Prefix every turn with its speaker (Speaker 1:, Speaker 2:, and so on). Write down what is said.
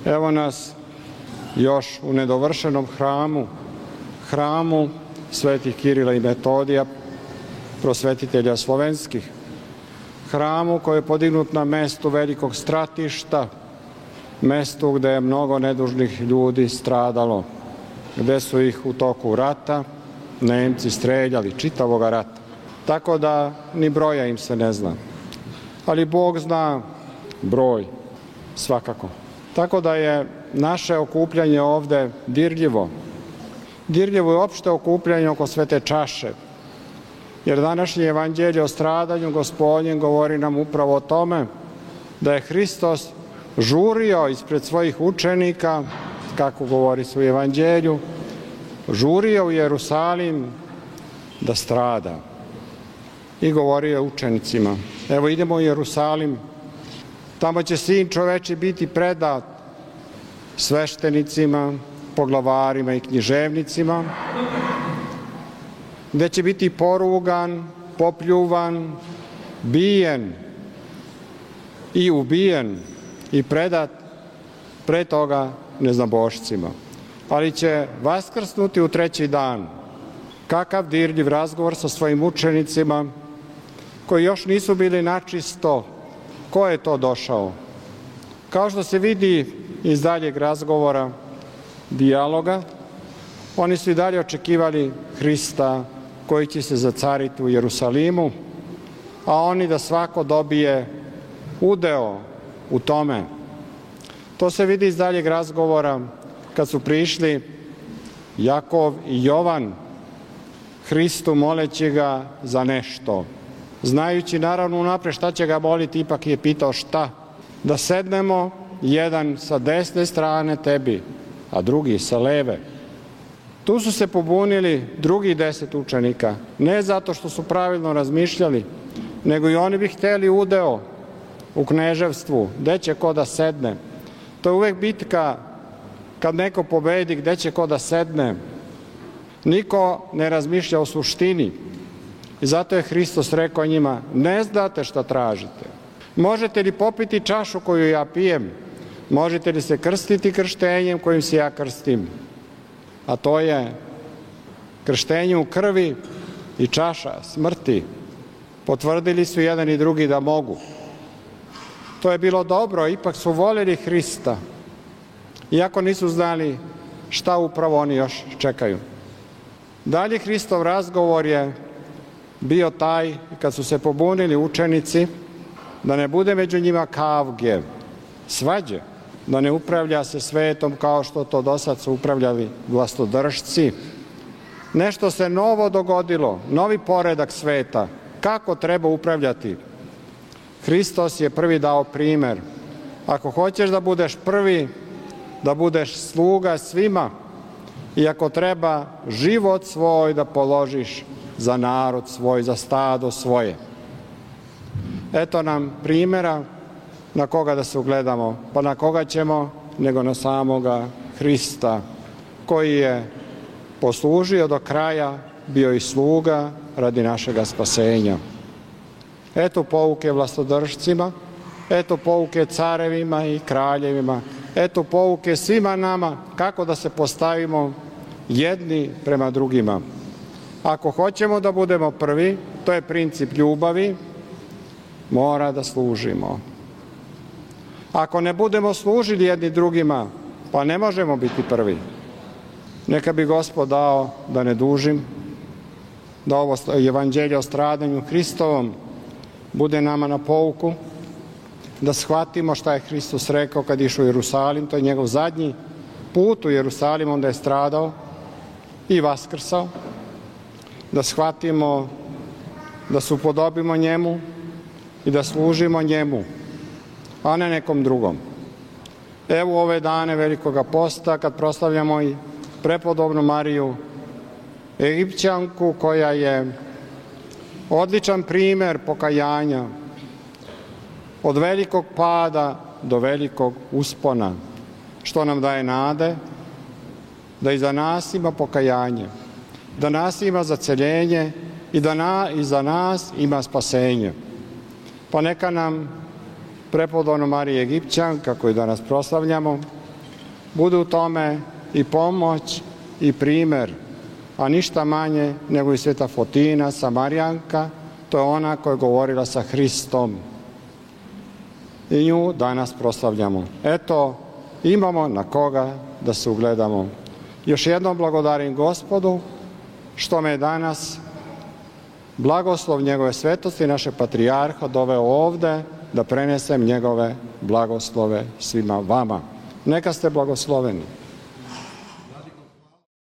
Speaker 1: Evo nas još u nedovršenom hramu svetih Kirila i Metodija, prosvetitelja slovenskih. Hramu koji je podignut na mestu velikog stratišta, mestu gde je mnogo nedužnih ljudi stradalo, gde su ih u toku rata Nemci streljali, čitavoga rata. Tako da ni broja im se ne zna. Ali Bog zna broj, svakako. Tako da je naše okupljanje ovde dirljivo. Dirljivo je opšte okupljanje oko svete čaše. Jer današnje evanđelje o stradanju Gospodnjem govori nam upravo o tome da je Hristos žurio ispred svojih učenika, kako govori se u evanđelju, žurio u Jerusalim da strada. I govorio učenicima, evo idemo u Jerusalim, tamo će Sin čoveči biti predat sveštenicima, poglavarima i književnicima, gde će biti porugan, popljuvan, bijen i ubijen i predat pre toga neznabošcima. Ali će vaskrsnuti u treći dan. Kakav dirljiv razgovor sa svojim učenicima koji još nisu bili načisto. Ko je to došao? Kao što se vidi iz daljeg razgovora, dijaloga, oni su i dalje očekivali Hrista koji će se zacariti u Jerusalimu, a oni da svako dobije udeo u tome. To se vidi iz daljeg razgovora kad su prišli Jakov i Jovan Hristu moleći ga za nešto. Znajući naravno unapred šta će ga moliti, ipak je pitao šta. Da sednemo jedan sa desne strane tebi, a drugi sa leve. Tu su se pobunili drugih 10 učenika, ne zato što su pravilno razmišljali, nego i oni bi hteli udeo u kneževstvu, gde će ko da sedne. To je uvek bitka kad neko pobedi, gde će ko da sedne. Niko ne razmišlja o suštini. I zato je Hristos rekao njima, ne znate šta tražite. Možete li popiti čašu koju ja pijem? Možete li se krstiti krštenjem kojim se ja krstim? A to je krštenje u krvi i čaša smrti. Potvrdili su jedan i drugi da mogu. To je bilo dobro, ipak su voljeli Hrista, iako nisu znali šta upravo oni još čekaju. Dalje Hristov razgovor je bio taj, kad su se pobunili učenici, da ne bude među njima kavge, svađe, da ne upravlja se svetom kao što to do sad su upravljali vlastodržci. Nešto se novo dogodilo, novi poredak sveta, kako treba upravljati. Hristos je prvi dao primer. Ako hoćeš da budeš prvi, da budeš sluga svima, i ako treba život svoj da položiš za narod svoj, za stado svoje. Eto nam primjera na koga da se ugledamo. Pa na koga ćemo, nego na samoga Hrista, koji je poslužio do kraja, bio i sluga radi našega spasenja. Eto pouke vlastodržcima, eto pouke carevima i kraljevima, eto pouke svima nama kako da se postavimo jedni prema drugima. Ako hoćemo da budemo prvi, to je princip ljubavi, mora da služimo. Ako ne budemo služili jedni drugima, pa ne možemo biti prvi. Neka bi Gospod dao, da ne dužim, da ovo evanđelje o stradanju Hristovom bude nama na pouku, da shvatimo šta je Hristos rekao kad išao u Jerusalim, to je njegov zadnji put u Jerusalim, onda je stradao i vaskrsao, da shvatimo, da se upodobimo njemu i da služimo njemu, a ne nekom drugom. Evo ove dane Velikoga posta, kad proslavljamo i prepodobnu Mariju Egipćanku, koja je odličan primer pokajanja, od velikog pada do velikog uspona, što nam daje nade da i za nas ima pokajanje, da nas ima zaceljenje i da i za nas ima spasenje. Pa neka nam prepodobna Marija Egipćanka, koju danas proslavljamo, budu u tome i pomoć i primjer, a ništa manje nego i sveta Fotina, Samarijanka, to je ona koja je govorila sa Hristom. I nju danas proslavljamo. Eto, imamo na koga da se ugledamo. Još jednom blagodarim Gospodu što me je danas blagoslov njegove svetosti, naše patrijarha, doveo ovde da prenesem njegove blagoslove svima vama. Neka ste blagosloveni.